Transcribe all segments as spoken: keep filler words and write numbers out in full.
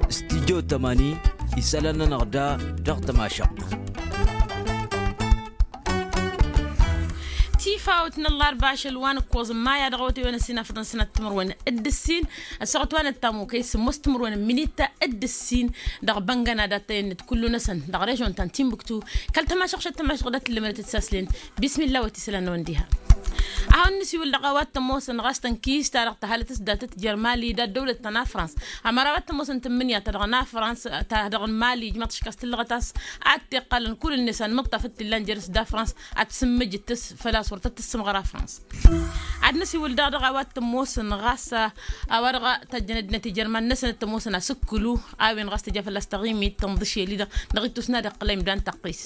Stijyo tămani isălan-nănăɣ da dăɣ-tămašăɣt. Tifawt n-ăllarba ašăl wa n-ǝkkoẓ n-maya dăɣ-awătay wa n-ăssinafăḍăn sănat timǝrwen d-ǝssin ăssaɣăt wa n-ăttamukăy sǝmmos timǝrwen n-minit d-ǝssin dăɣ-băngăna dat-tăyănnăt kullu-năsăn dăɣ-režon ta n-timbuktu. Kăl-tămašăɣ šăt tămašăɣ dat-tǝllǝmănăt d-saslen. Bismillah wa t-isălan n-ăwăndiha. Ad-hawăn-nǝsiwǝl dăɣ-a-wa t-ămoosăn ɣas tănkiist-ta-dăɣ tăhalăt s-datăt jer-mali d-ăddăwlăt ta n-afrans. Ămăra a-wa t-ămoosăn tǝmmǝnǝya-ta-dăɣ n-afrans ta dăɣ-mali ǝjmăḍ tiškast tǝllăɣăt a-s ad-t-iqqălăn kull-net anmǝṭṭaf d-t-illan jer-s d-afrans ad-t-sǝmmǝjǝt-s făl-a-s wăr tăt-tǝssǝmɣăr afrans. Ad-nǝsiwǝl daɣ dăɣ-a-wa t-ămoosăn ɣas a-wa dăɣ-tajjăn ăddinăt ijerman-năsăn t-ămoosăn asǝkkǝlu a-wen ɣas tǝja fălla-s taɣimit tănḍǝšel-i-dăɣ dăɣ-ittus n-ad-iqqǝl a imdan tăqqis.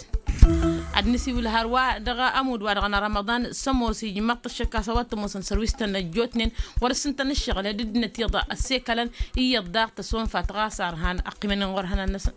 Ad-nǝsiwǝl hărwa dăɣ-ămudd-wa-dăɣ n-rămăḍan s-ămoos ijmăḍ-t ăššăk a-s a-wa t-ămoosăn sărwis-tăn ăjjootnen wăr-ǝssǝntăn ǝššăɣǝl d-ăddinăt iyyăḍ ăssekălăn iyyăḍ daɣ tăsonfat ɣas arhan ăqqimăn inɣurhănan-năsăn.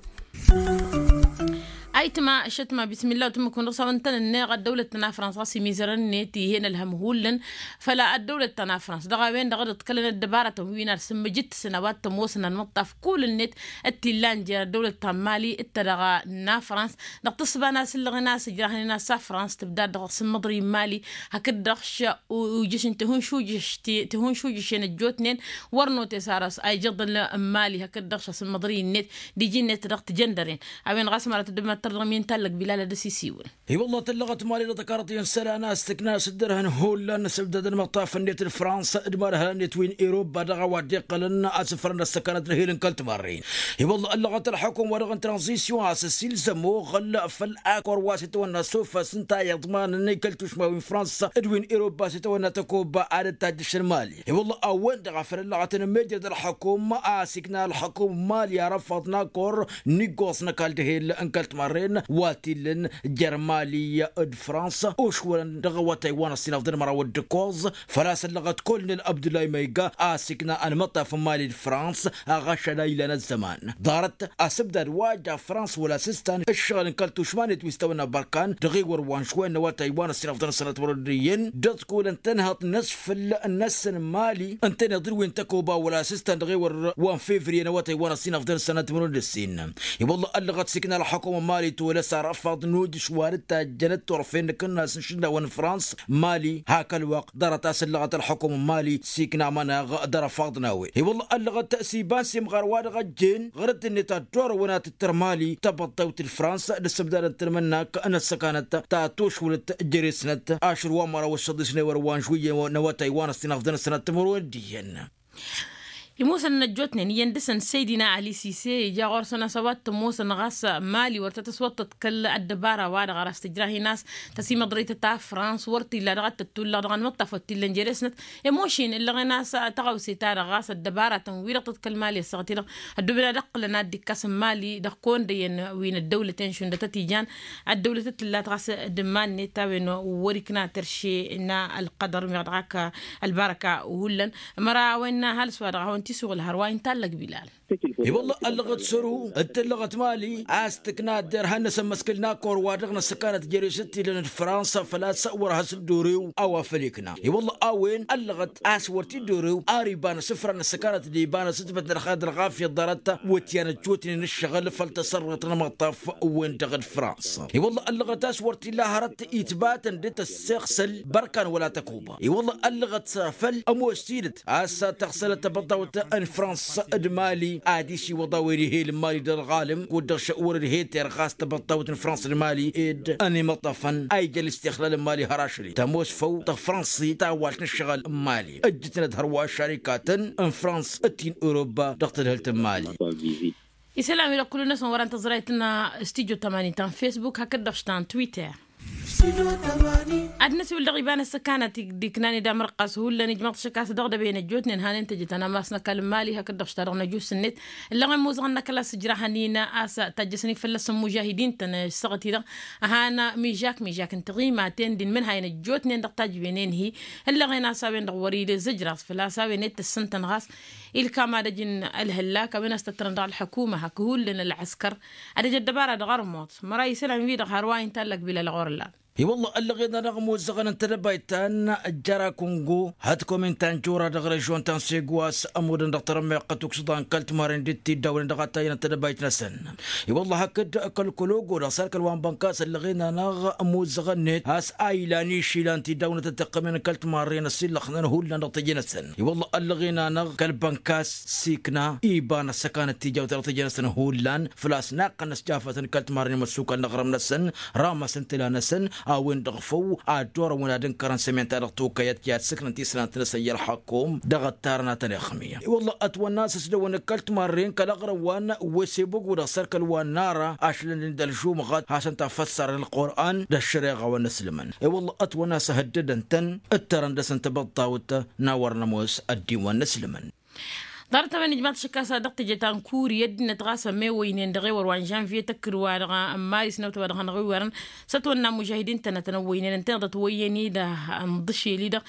Ayǝtma ăššătma bismillah wa tǝmmǝk-wǝn dăɣ-s a-wa ǝntănănneɣ ăddăwlăt ta n-afrans ɣas imizărăn-net ih'-en ălhăm hullan făll-ăddăwlăt ta n-afrans dăɣ-a-wen-dăɣ a dd-ǝḍkălăn ăddăbarătăn wi n-ad-sǝmmǝjǝttǝsăn a-wa t-ămoosăn anmǝṭṭaf kull-net d-t-illan jer-ăddăwlăt ta n-mali d-ta dăɣ-nafrans dăɣ-tǝssǝba n-asǝllăɣ-in a-s ǝjrahăn-in a-s afrans tǝbdad dăɣ-sǝmmăḍri n-mali hakd-dăɣ š-ujǝš n-tihǝnšujǝš tihǝnšujǝšen ăjjootnen wăr notes ar a-s a ijăḍăl n-mali hakd-dăɣ š-asǝmmăḍri-net d-iji-net dăɣ-tijăndăren. A-wen ɣas măra tăddăbnăt tărdăɣ mi n-tallăg bilal ad-dăr-s isiwǝl. I-wălla tǝllăɣăt mali dăɣ-tăkarăḍ i-ǝnsălan a-s tǝkna s-dd-ărhăn hullan s-ǝbdadăn imăṭṭaf-net d-frans d-imarhăn-net wi n-iruba dăɣ-a-wa dd-iqqălăn asǝfrăn d-ăssăkanăt d-ehel n-kăl-timarren. I-wălla ăllăɣăt ălxukum-wa-dăɣ n-tranzisyon a-s ăsilzăm oɣăl făll-akor wa s-itawănna s-ofăs n-ta iḍmanăn i-kăl-tušma wi n-frans d-wi n-iruba s-itawănna tăkoba ad-dd-tajjăšăn mali. I-wălla a-wen-dăɣ a făl ăllăɣăt n-mejăd ălxukum a-s ikna ălxukum n-mali arăfaḍ n-akor n-iggoẓ n-ăkall d-ehel n-kăl-timarren wa t-illăn jer-mali d-frans ušwălăn dăɣ-awătay wa n-ăṣṣinăfḍăn măraw d-ǝkkoẓ. Făl-a-s ăllăɣăt kolnel abdullah măyga a-s ikna ănmăṭṭaf n-mali d-frans aɣăšăl a ilan ăzzăman ḍarăt asǝbdad wa ja frans wăla s-ǝstan ǝššăɣǝl n-kăl-tušma-net wi s-tawănna bărkan dăɣ-iwăr wa n-šwăyăn n-awătay wa n-ăṣṣinăfḍăn sănăt wăr-dd-iyyăn d-ăḍkulăn tănhăḍt n-asfǝl-năsăn n-mali ǝntăneḍ d-wi n-tăkoba wăla s-ǝstan dăɣ-iwăr wa n-fevriye n-awătay wa n-ăṣṣinăfḍăn sănăt wăr-dd-ǝssin. I-wălla ăllăɣăt s-ikna ălxukum n-mali tolăs arăfaḍ n-ujǝš wa n-dd-tajjăn d-turfen n-ikǝnnas n-išǝnnawăn n-frans mali hak ălwăqq ḍarăt a-s ăllăɣăt ălxukum n-mali s-ikna amănaɣ d-arăfaḍ n-a-wen. I-wălla ăllăɣăt s-iba n-simɣar wa dăɣ-ăjjeen ɣur-dd-net ad-dd-orăwăn ad-tǝttǝr mali tăbăḍḍăwt d-frans d-ǝssǝmdadăn tǝlmǝnnak n-ăssăkanăt ta tošwǝlăt jere-snăt ašăl wa n-măraw ăššăḍis n-ewăr wa n-žwǝyyăn n-awătay wa n-ăṣṣinăfḍăn ăssănat timǝrwen d-iyyăn. Imusăn n-ăjjootnen iyyăn dăɣ-săn seydina ali sise ija ɣur-săn a-s a-wa t-ămoosăn ɣas mali wăr tăt-ăswăḍ tăḍkăl ăddăbara-wa-dăɣ ar a-s tǝjrah-in a-s tăsimăḍrăytăt ta frans wăr t-illa dăɣ-ad-tăttullăɣ dăɣ-anmăṭṭaf wăr t-illa n-jere-snăt. Ămošin ǝllăɣen a-s tăɣawse-ta-dăɣ ɣas ăddăbaratăn wi-dăɣ tăḍkăl mali ăssaɣăt-i-dăɣ ădduben ad-ǝqqǝlăn ad-dd-ikkas n-mali dăɣ-kăwăn-dăyăn wi n-ăddăwlăten šund a tăt-ijan ăddăwlăt a t-tǝllat ɣas d-iman-net a-wen wăr-ikna terše n-ălqădăr meɣ dăɣ-ak ălbarăka hullan. Măra a-wen n-ăhalǝs-wa-dăɣ a hawăn-t-isuɣǝl hărwa intallăg bilal. I-wălla ăllăɣăt săru d-tǝllăɣăt mali a-s tǝkna ăddărhan n-asămmăskǝl n-akor wa dăɣ-năssăkanăt jere-s d-t-illăn d-fransa făl-a-s wăr has-dd-orew a-wa făl ikna. I-wălla a-wen ăllăɣăt a-s wăr t-dd-orew ar iba n-asǝfra n-asăkanăt d-iba n-asǝtbăt n-ălxaḍ ălɣafyăt ḍarăt wăt-i-anăjjotnen ǝššăɣǝl făll-tasărrăt n-amăṭṭaf-wen-dăɣ d-fransa. I-wălla ăllăɣăt a-s wăr t-illa hărăt itbatăn dd-tăssexsăl bărkan wăla tăkuba. I-wălla ăllăɣăt făll-ămoos tidǝt a-s tăɣsălăt tăbăḍḍawt n-fransa d-mali ad-isiwăḍ a-wen ihel n-mali d-ălɣalăm kud-dăɣ šăwăr d-heter ɣas tăbăḍḍawt n-fransa d-mali ed ănimăṭṭăfăn a ija ălistixlal n-mali har ašăl-i tămoos făw tăɣ-fransi tawalt n-ǝššăɣǝl n-mali ǝjjǝtnăt hărwa ăššarikatăn n-fransa d-ti n-europa dăɣ-tadhǝlt n-mali. Isălan-wi-dăɣ kullu-năsăn wăr-an tăẓrayt n-studyo tămani ta n-facebook hakd-dăɣ š-ta n-twitter. Ad-năsiwǝl dăɣ-iba n-ăssăkanăt d-iknan ed amrăqqas hullan ijmăḍ šăk a-s dăɣ-dăbey n-ăjjootnen hanen tejăt ănammas n-ăkall n-mali hakd-dăɣ š-ta-dăɣ n-ăjus-net. Ǝllăɣen mozăɣăn n-ăkall a-s ǝjrahăn-in a-s tajjăsăn-in fălla-săn mužahidin-tăn ăssaɣăt-i-dăɣ ăhan mižak mižak n-tiɣimaten d-inmǝnhayen ăjjootnen dăɣ-tajbenen-hi. Ǝllăɣen a-s a-wen-dăɣ wăr-ila ǝzzǝjraẓ făl-a-s a-wen ed tǝssǝntăn ɣas ilkam ad-ăj n-ălhăllak a-wen a-s tăttărăn dăɣ-ălḥăkuma hak hullan ălɣăskăr ad-ăj ăddăbara dăɣ-ărmuḍ. Măra isălan-wi-dăɣ har wa intallăk bilal ɣur-ǝllan. I-wălla ăllăɣen-anăɣ ămozzăɣăn n-tedăbayt ta n-ăjjăra kungo hăt-komin ta n-jora dăɣ-režion ta n-segu a-s ămudăn dăɣ-tărămmeɣt ukǝsḍa n-kăl-timarren d-tiddawnen dăɣ-atajăn n-tedăbayt-năsăn. I-wălla hakd kăl-kălogo dăɣ-săr kăl-wa n-bănkas ăllăɣen-anăɣ ămozzăɣăn-net a-s a ilan išilan tiddawnen tăt-tiqqămen n-kăl-timarren ăsillăxnăn hullan dăɣ-teje-năsăn. I-wălla ăllăɣen-anăɣ kăl-bănkas s-ikna iba n-ăssăkanăt tijawt dăɣ-teje-năsăn hullan făl-a-s naqqăn n-ăsjafătăn kăl-timarren imăssukal n-aɣrǝm-năsăn. Ramăsăn tǝla-năsăn a-wen-dăɣ făw ad-dd-orăwăn ad-ǝnkărăn sămen-ta-dăɣ tokăyăt i-ad-sǝknăn tisǝnant-năsăn i-ălxakum dăɣ-ăttarăn a tăn-ixmǝyăn. I-wălla ătwănna a-s ăsdăwăn n-kăl-timarren kăl-aɣrǝm wa n-wesebăgo dăɣ-săr kăl-wa n-ara ašlăn-in d-ălžumɣăt hasăn-tafăssarăn ălqur'an d-ăššăreɣa wa n-ǝslǝmăn. I-wălla ătwănna a-s ăhăddădăn-tăn ǝttărăn dăɣ-săn tibăḍt ta wǝttăn n-a wărăn ămoos ăddin wa n-ǝslǝmăn. Ḍarăt-a-wen ijmaḍ-t ašăk a-s dăɣ-teje ta n-kuri ăddinăt ɣas ămewăynen dăɣ-ewăr wa n-žănviye tăkkǝd-wa-dăɣ n-maris n-awătay wa dăɣ-hanăɣ-iwwărăn s-ătwănna mužahidin-tăn ad-tăn-ăwwăynen ǝntăneḍ ătwăyyăn-i-dăɣ n-iḍǝšel-i-dăɣ.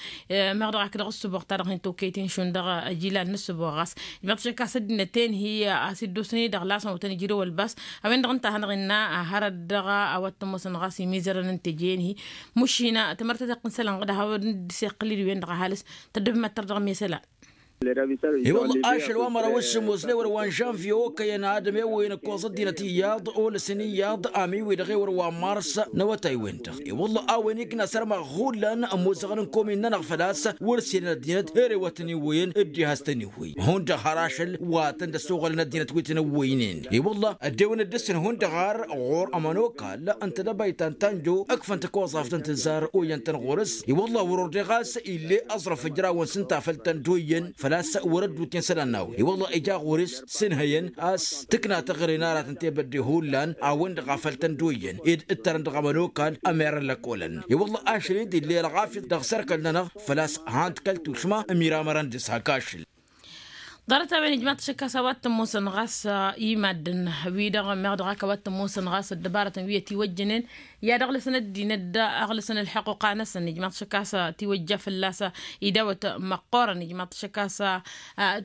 Meɣ dăɣ-ak dăɣ-ǝssǝboɣ-ta-dăɣ hin-tokăyt inšun dăɣ-ijilal n-ǝssǝboɣ ɣas ijmaḍ-t ašăk a-s ăddinăt-en hi-a-s iddosăn-i-dăɣ lasăn wătăn ijrăw ălbas. A-wen-dăɣ ǝnta a hanăɣ-innă a hărăt dăɣ-a-wa t-ămoosăn ɣas imizărăn n-teje-en-hi. Mušina tămărt ad-t-iqqǝn isălan ɣǝd a hawăn-dd-iseqqǝl-dd-wen-dăɣ ăhalǝs. Tăddǝb mad-tărdăɣ mesăla. I-wălla ašăl wa măraw s-ămoos n-ewăr wa n-žănviye okăyăn ad-ămewăyăn ǝkkoẓ ăddinăt iyyăḍ olăsăn iyyăḍ amiwi dăɣ-ewăr wa n-mars. N-awătay-wen-dăɣ i-wălla a-wen ikna sărmăɣ hullan ămoozăɣăn n-komin-nănăɣ făl-a-s wăr-sǝynen ăddinăt ere wa tăn-iwwăyăn dd-iha s-tăn-iwwăy. Hundăɣ har ašăl wa tăn-dd-ăssoɣălăn ăddinăt wi tăn-ăwwăynen. I-wălla ăddewăn dd-ǝssǝn hundăɣ har ɣur-ămănokal n-tedăbayt ta n-tanjo ǝkfăn tăkoẓaft n-tǝzzar oyyăn-tăn ɣur-s. I-wălla wăr-ordeɣ a-s ill'-e ăẓrăf ǝjrawăn s-ǝnta a făl tăn-dd-oyyăn făl-a-s wăr-ăddut i-isălan n-a-wen i-wălla ija ɣur-s s-ǝnhăyăn a-s tǝkna taɣre n-aratăn tebădde hullan a-wen-dăɣ a făl tăn-dd-oyyăn ed ǝttărăn dăɣ-ămănokal ămerăn lăkolăn. I-wălla ašăl-i-dd ill'-e ălɣafyăt dăɣ-sărkăl-nănăɣ făl-a-s han-t kăl-tušma ămira mărăn dăɣ-s hak ašăl. Ḍarăt-a-wen ijmaḍ-t ašăk a-s a-wa t-ămoosăn ɣas i-maddǝn-wi-dăɣ meɣ dăɣ-ak a-wa t-ămoosăn ɣas ăddăbarătăn wi ătiwăjjănen i-ad-ăɣlăsăn ăddinăt d-ăɣlăsăn ălḥăqquqa-năsăn ijmaḍ-t ašăk a-s tiwăjja fălla-s idawăt măqqoorăn ijmaḍ-t ašăk a-s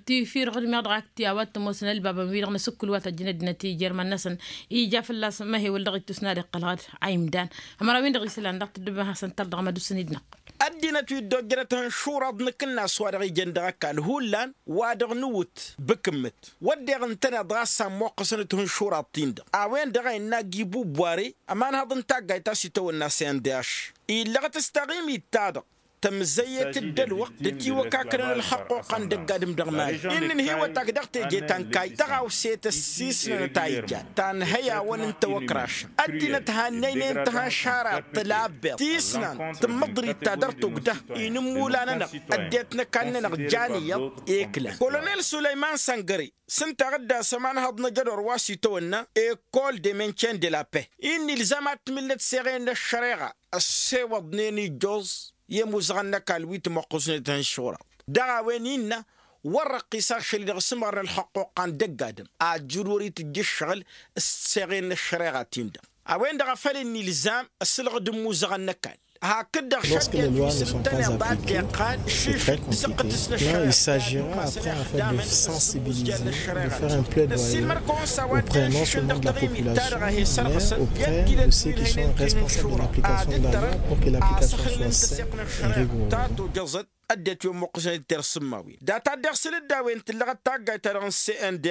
tifirɣǝd meɣ dăɣ-ak ti a-wa t-ămoosăn ălbabăn-wi-dăɣ n-asǝkkǝl wa tăjjăn ăddinăt ijărmăn-năsăn. Ija fălla-s măhewăl dăɣ-ittus n-ad-iqqăl ɣad a imdan ămăraw-in-dăɣ isălan dăɣ-tǝddǝbăn hasăn-tăr dăɣ-mad-usǝn-dd-năqqăl. Ăddinăt wi dd-ojjărăt ihǝnšuraḍ n-akǝnnas wa dăɣ-ijăn dăɣ-ăkall hullan wa dăɣ-nǝwǝt bǝkǝmmǝt wădden ǝntăneḍ ɣas ammoqqăsăn-dd ihǝnšuraḍ-tin-dăɣ a-wen-dăɣ a innă agi bubware ămanhăḍ n-taggayt ta s-itawănna s-n d-aš illăɣăt s-taɣimit-ta-dăɣ tămzăyyet-dd ălwăqq d-itiwăkaknăn ălxăqquqqa n-dăgg-adǝm dăɣ-mali. Inn' ǝnhǝywăt-ak dăɣ-teje ta n-kayy tăɣawse tăssisnănăt a ijjan ta n-hăyawăn n-tawăkrašăn ăddinăt hannăynen tăhănšara tălabbeḍ tisnant tǝmmǝḍrit ta dăr-tugdăh inǝmmula-nănăɣ ăddinăt n-ăkall-nănăɣ jan iyyăḍ. Eklan kolonel sulăyman săngăre s-ǝnta a ɣǝdda s-ămanhăḍ n-ajădor wa s-itawănna ekol de mencen de la paix. Inn' ilzam ad-tǝmǝlnăt seɣen n-ăššăreɣa ăssewăḍnen ijjoẓ i-ămuzăɣăn n-ăkall wi tămoqqusnet ihănšuraḍ dăɣ-a-wen innă wăr răqqis ašăl-i-dăɣ s-ǝmɣăr n-ălxăqquqqa n-dăgg-adǝm ajjǝd wăr-itǝjj ǝššăɣǝl s-seɣen n-ăššăreɣa-tin-dăɣ. A-wen-dăɣ a făl ǝnnilzam ăsǝlɣǝd n-imuzăɣăn n-ăkall hakd-dăɣ šăddent wi s-ǝntăneḍ a dd-iqqal šǝšǝt d-săqqǝt s-năššăreɣa. Là il s'agira après en fait de sensibiliser, de faire un plaidoyer auprès non seulement de la population mais auprès de ceux qui sont responsables de l'application de la loi pour que l'application soit saine et rigoureuse. Ăddinăt wi ămmuqqǝsăn d-tersǝmmawen data dd-iɣsǝl-dd a-wen tǝllăɣăt taggayt-ta-dăɣ n-cndh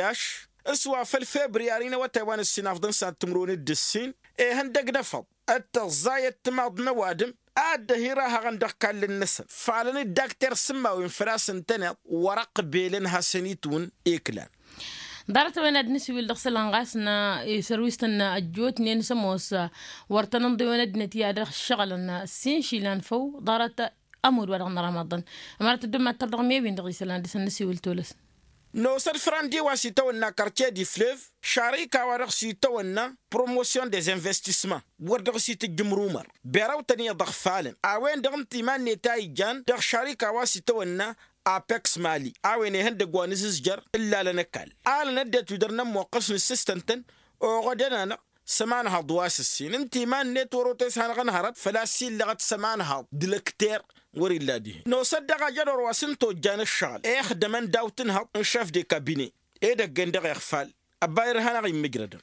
s-wa făll-febriyari n-awătay wa n-ǝssin afḍăn s-ad-tǝmrǝwăn d-ǝssin. Ihăndăg n-efăḍ d-tăẓẓayăt timaḍ n-ăwadǝm a dd-ăhirahăɣăn dăɣ-ikallăn-năsăn falăn-dd ak tersǝmmawen făl-a-s ǝntăneḍ wăr-ăqbelăn hasăn-itwǝn. Iklan. Ḍarăt-a-wen ad-nǝsiwǝl dăɣ-isălan ɣas n-sărwistăn ăjjootnen s-ămoos wăr tăn-ǝnḍǝyăn ăddinăt i-ad-ăššăɣǝlăn s-inšilan făw ḍarăt ămudd wa dăɣ-năramaḍăn. Ămărăt dd-ămmattăr dăɣ-mewin dăɣ-isălan ad-dăr-săn nǝsiwǝl tolăs. Nosă-dd frăndi wa s-itawănna kartie di flev šarika wa dăɣ-s itawănna promotion des investissements wăr dăɣ-s itǝjjǝm rumăr berăw-tăn iyyăḍ ăɣfalăn a-wen-dăɣ ǝnta iman-net a ijan dăɣ-šarika wa s-itawănna apex mali a-wen ihăndăgg wa n-azǝzjăr ǝllalăn ăkall alăn ăddinăt wi dăr-nămmoqqăs nǝssǝstăn-tăn oɣădăn-anăɣ s-ămanhaḍ wa s-ǝssin ǝnta iman-net wăr-otăy s-hanăɣ-ănhărăt făl-a-s illăɣăt s-ămanhaḍ d-lăkter. Wăr-illa dihen nosă-dd dăɣ-ajădor wa s-ǝnta ojjan ǝššăɣǝl ixdămăn daw-tǝnhăḍ n-šef de kabine edăgg-en dăɣ-iɣfal ăbba irha-năɣ immǝjrădăn.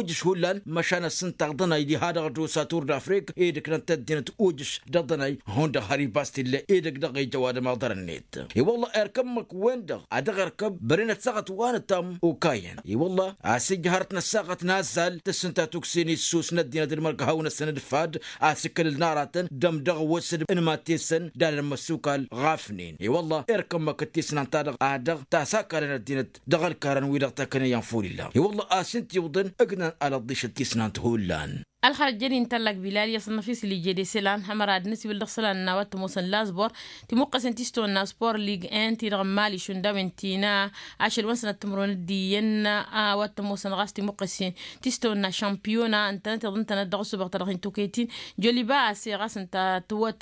ujǝš hullan măšan ăssǝntaɣ dănay diha-dăɣ d-osa tur d-afrik edăknăn-t ăddinăt ujǝš dăɣ-dănay hundăɣ har ibas t-illa edăk dăɣ-ija ăwadǝm aḍăr-net. I-wălla irkămmăk-wen-dăɣ a dăɣ-irkăb bărenăt saɣăt wa n-ătam okayăn i-wălla a-s ija hărăt n-ăssaɣăt n-azzal tǝssǝnta tuksen issus n-ăddinăt d-mărkăhăw-năsăn d-fad a-s ǝkkăl-dd n-aratăn d-ămdăɣ wăsăd n-imattesăn d-alăn măssukal ɣafnen i-wălla irkămmăk d-tisnant-ta-dăɣ a dăɣ-tasakalăn ăddinăt dăɣ-ălkarăn wi-dăɣ takănăyăn ful illa i-wălla a-s ǝnta iwǝḍăn ǝgnan alăḍḍišăt tisnant hullan. Ălxărăt jădin tallak bilal i-asănnăf isǝl ije d-eselan hămăra ad-nǝsiwǝl dăɣ-isălan n-a-wa t-ămoosăn lazbor timuqqăsen ti s-tăwănna spor lig en-ti-dăɣ n-mali šund a-wen ti n-ašăl wa n-sănăt timǝrwen d-iyyăn a-wa t-ămoosăn ɣas timuqqăsen ti s-tăwănna šămpiyona ǝntănăt iḍǝntănăt dăɣ-ăssubaɣ ta dăɣ-hin-tokăyăt-in joliba ase ɣas ǝnta tǝwwăt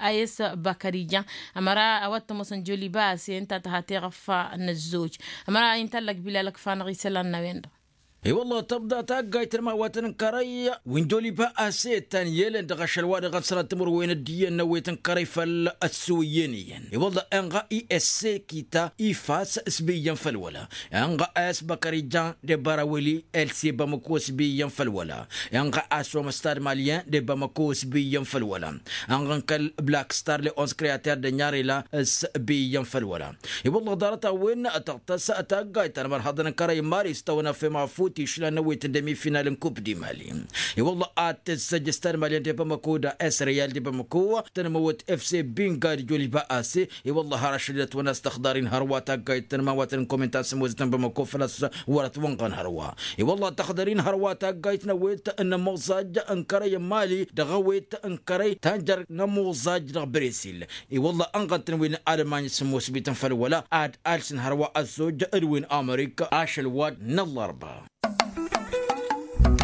a-s băkăr ijan. Ămăra a-wa t-ămoosăn joliba ase ǝnta tǝha teɣăffa n-ăzzoj. Ămăra intallăk bilal ăkfanăɣ isălan n-a-wen-dăɣ. I-wălla tăbda taggayt n-imawatăn n-kărăy wi n-joliba ase ǝttan i-elăn dăɣ-ašăl wa dăɣ-ănsanăt timǝrwen d-iyyăn n-ăwwet n-kărăy făll-ăssuwǝyyen iyyăn i-wălla inɣa i-esse kita ifas s-bi iyyăn făll-wăla. Inɣa a-s băkăr ijan d-ebaraweli else bamăko s-bi iyyăn făll-wăla. Inɣa a-s omăstad malyen d-ebamăko s-bi iyyăn făll-wăla. Inɣa n-kăl-black star leons kreater d-ănyarela s-bi iyyăn făll-wăla. I-wălla ḍarăt-a-wen tăɣtăs taggayt ta n-imărhăḍăn n-kărăy n-mali s-tăwănăf i-mafut išlan n-ăwwet n-demi final n-kup di mali. I-wălla ad-tǝzzăj s-tanmalyen d-ebamăko d-a-s reyal d-ebamăko tănmăwăt fc binga d-joliba ase. I-wălla har ašăl i-dăt-wăn a-s tăxḍăr-in hărwa taggayt n-imawatăn n-komentan s-ămoozătăn bamăko făl-a-s wăr-ătwănɣăn hărwa. I-wălla tăxḍăr-in hărwa taggayt n-ăwwet n-ămoẓaj n-kărăy n-mali dăɣ-ăwwet n-kărăy tanjăr n-ămoẓaj dăɣ-bresil. I-wălla ănɣăn-tăn wi n-almany s-ămoosbităn făll-wăla ad-alsǝn hărwa ăzzoj d-wi n-amerika ašăl wa n-ăllarba.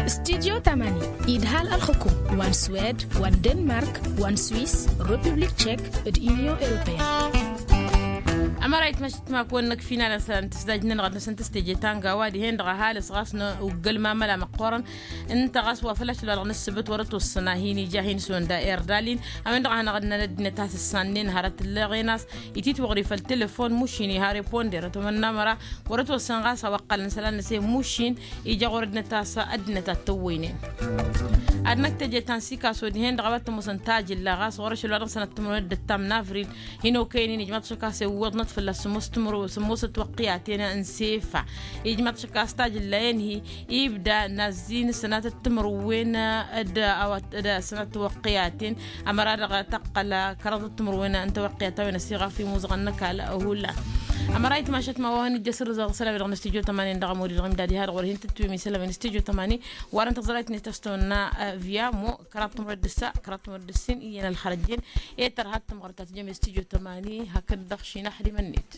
Studyo tamani idhal ălxukum wa n-swed wa n-denmark wa n-swiss, republik tchek d-union europeen. Ămăra itmăšt timak-wăn n-ăkfinalăn sălan tǝsdaj-nănăɣ ad-năsăn tǝstejăy tanga wa dihen-dăɣ ăhalǝs ɣas n-uggălmamăl amăqqoorăn. Ǝnta ɣas wa făl ašăl wa dăɣ-nǝssǝbǝt wăr-ătwăssăn a hin-ija a hin-săwănda erdalin. A-wen-dăɣ a hanăɣ-ănnăn ăddinăt a-s ǝssannen hărăt ǝlleɣen a-s ititwăɣri făll-telefon mušin iha reponder ătomănna măra wăr-ătwăssăn ɣas a-wa ǝqqălăn isălan-năsăn mušin. Ija ɣur-ăddinăt a-s ăddinăt ad-tăwwăynen. Ad-năkk teje ta n-sikaso dihen-dăɣ a-wa t-ămoosăn tajǝlla ɣas ɣur-ašăl wa dăɣ-sănăt timǝrwen d-ǝttam n-avril hin-okăynen ijmaḍ ašăk a-s iwwăḍnăt fălla-s sămoos tǝmǝrwen sămoosăt wăqqiyaten n-sefa. Ijmaḍ ašăk a-s tajǝlla-en-hi ibda n-azzin sănatăt timǝrwen d-a-wa d-sănatăt wăqqiyaten. Ămăra dăɣ-tăqqăl kăraḍăt timǝrwen n-tawăqqiyat a-wen ăsiɣaf imuzăɣăn n-ăkall hullan. Ămăra itmašăt ma wa hăn-ijjăs ǝrrǝzăɣ isălan-wi-dăɣ n-studyo tămani dăɣ-ămud-i-dăɣ imdad iha-dăɣ wăr hin-tǝttǝwem isălan-wi n-studyo tămani. Warăn tăẓrayt-net a-s tăwănna via mo kăraḍ timǝrwen d-ǝssa kăraḍ timǝrwen d-ǝssin iyyăn ălxărăjjen. E tărha d-tămɣărt ta tǝjăm i-studyo tămani hakd-dăɣ šinaxdimăn-net.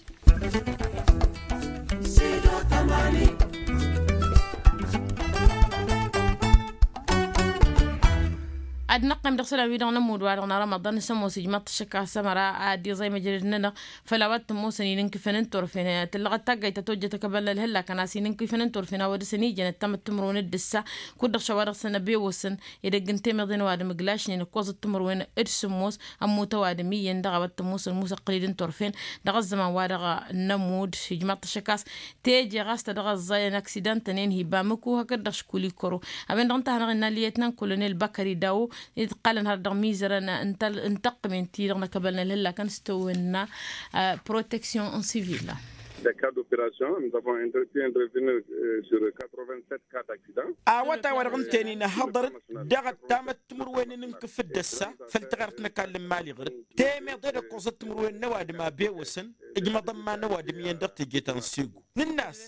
Ad-năqqim dăɣ-isălan-wi-dăɣ n-ămudd-wa-dăɣ n-rămăḍan n-sămoos ijmaḍ-t ăššăk a-s ămăra ad-iẓay măjrăd-nănăɣ făll-a-wa t-ămoosăn inǝnkǝfăn n-turfen. Tǝllăɣăt taggayt ta tojjăt akăbălnăl hǝllakăn a-s inǝnkǝfăn n-turfen a-wa dăɣ-săn ijăn ăttamăt timǝrwen d-ǝssa. Kud-dăɣ šawa dăɣ-săn ăbewăsăn edăgg n-temeḍe n-ăwadǝm ǝglašnen ǝkkoẓăt timǝrwen d-sǝmmos ămmut ăwadǝm iyyăn dăɣ-a-wa t-ămoosăn ămoos ăqqǝlid n-turfen. Dăɣ-ăzzăman-wa-dăɣ n-ămudd ijmaḍ-t ăššăk a-s teje ɣas ta dăɣ-ăẓẓayăn aksidan-tăn-en hi-bamǝku hakd-dăɣ škul ikăro. A-wen-dăɣ ǝnta a hanăɣ-innă ălliyyăt n-ănkulănel băkări dawo dd-iqqalăn har dăɣ-mizărăn n-tăqqǝmen-ti-dăɣ n-akăbălnăl hǝllakăn s-tăwănna proteksyon n-sivil. Dăɣ-ka d-operation n-tăfăɣ n-tăwănna s-katrovin set kat aksidan. Awătay wa dăɣ-ǝnta-en-in ăhhăḍărăt dăɣ-ăttamăt timǝrwen n-inǝnkǝf d-ăssa făll-taɣert n-ăkall n-imali ɣur-dd temeḍe d-ǝkkoẓăt timǝrwen n-ăwadǝm a bewăsăn ǝjmăḍăn ma n-ăwadǝm iyyăn dăɣ-teje ta n-segu. Nǝnn'-as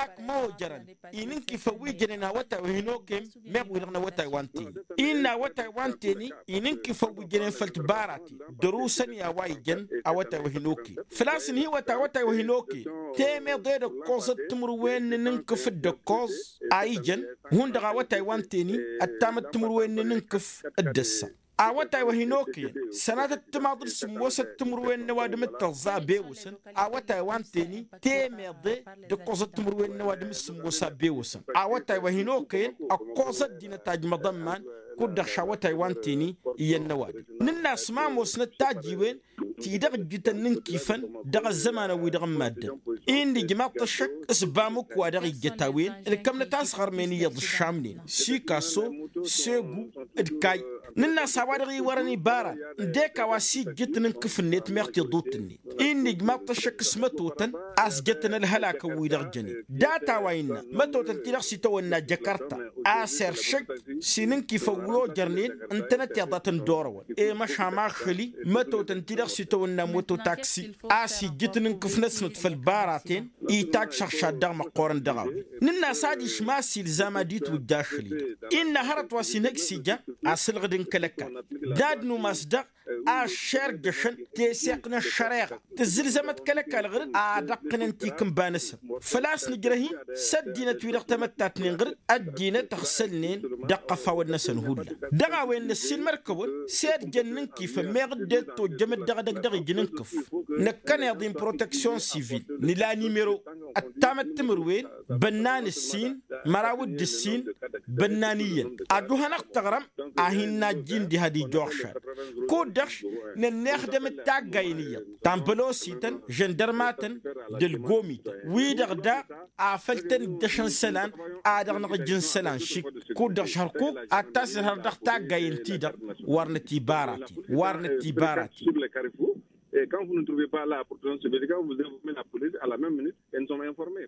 ak ma ojărăn inǝnkifăn wi jănen awătay wa hin-okem meɣ wi-dăɣ n-awătay wa n-teni. Innă awătay wa n-teni inǝnkifăn wi jănen făll-tibaraten dăr-usăn i-a-wa ijăn awătay wa hin-okem. Făl-a-s ǝnhǝywăt awătay wa hin-okem temeḍe d-ǝkkoẓăt timǝrwen n-inǝnkǝf d-ǝkkoẓ a ijăn hundăɣ awătay wa n-teni ăttamăt timǝrwen n-inǝnkǝf d-ǝssa. Awătay wa hin-okăyăn sănatăt timaḍ d-sǝmmosăt timǝrwen n-ăwadǝm d-tăẓẓa a bewăsăn awătay wa n-teni temeḍe d-ǝkkoẓăt timǝrwen n-ăwadǝm d-sǝmmos a bewăsăn. Awătay wa hin-okăyăn ǝkkoẓ ăddinăt a ǝjmăḍăn iman kud-dăɣ šawătay wa n-teni iyyăn n-ăwadǝm. Nǝnn'-as ma ămoosnăt tajiwen ti-dăɣ ǝjjǝtăn n-inkifăn dăɣ-ăzzămanăn-wi-dăɣ n-maddǝn. Inn'-ijmaḍ-t ăššăk s-bamǝk wa dăɣ-ijjăt a-wen ǝlkămnăt asɣărmen iyyăḍ ǝššamnen sikaso segu d-kay. Nǝnn'-as a-wa dăɣ-iwărăn ibaran n-dek a-wa s-ijjǝt n-inkǝf-net meɣ tiḍut-net. Inn'-ijmaḍ-t ăššăk s-mătotăn a-s jătăn ălhălakăn-wi-dăɣ jănen data wa innă mătotăn ti-dăɣ s-itawănna jăkărta a-s eršăj s-inǝnkifăn wi ojărnen ǝntănăt iḍa tăn-dd-orăwăn i-măšan ašăl-i mătotăn ti-dăɣ s-itawănna mototaksi a-s ijjǝt n-inkǝf-năsnăt făll-baraten. Itajj šăɣšad dăɣ-măqqoorăn dăɣ-a-wen. Nǝnn'-as adiš ma s-ilzam ad-itwǝjja ašăl-i-dăɣ innă hărăt wa s-inhăj s-ija asǝlɣǝd n-kăl-ăkall d-ad-numas dăɣ-aššer jăšăn teseɣt n-ăššăreɣa tǝzzǝlzămăt kăl-ăkall ɣǝr-dd ad-ăqqǝnăn tikǝnba-năsăn. Făl-a-s nǝjrăh-in s-ăddinăt-wi-dăɣ tamăttat-nin ɣǝr-dd ăddinăt ăɣsălnen dăɣ-iqăfawăn-năsăn hullan. Dăɣ-a-wen năssiilmăr-kăwăn s-ed jăn n-inkifăn meɣ dd-tojjăm-dd dăɣ-edăgg dăɣ-ija n-inkǝf. Năkkăneḍ-in proteksyon sivil nǝla nimero ăttamăt timǝrwen bănnan ǝssin măraw d-ǝssin bănnan iyyăn. Aju hanăɣ-tăɣrăm a hin-najjin diha d-ija oɣšad. Kud-dăɣ nănnexdăm d-taggayen iyyăḍ ta n-bălosităn žăndărmatăn d-ălgomităn wi-dăɣ daɣ afăl tăn-dd-ăšăn isălan. A dăɣ-năɣ ǝjǝn isălan šik kud-dăɣ šhărkuk ad-tasǝlhăr dăɣ-taggayen-ti-dăɣ. Wărnăt ibaraten wărnăt ibaraten. Et quand vous ne trouvez pas la protection civile quand vous informez la police à la même minute et nous sommes informés.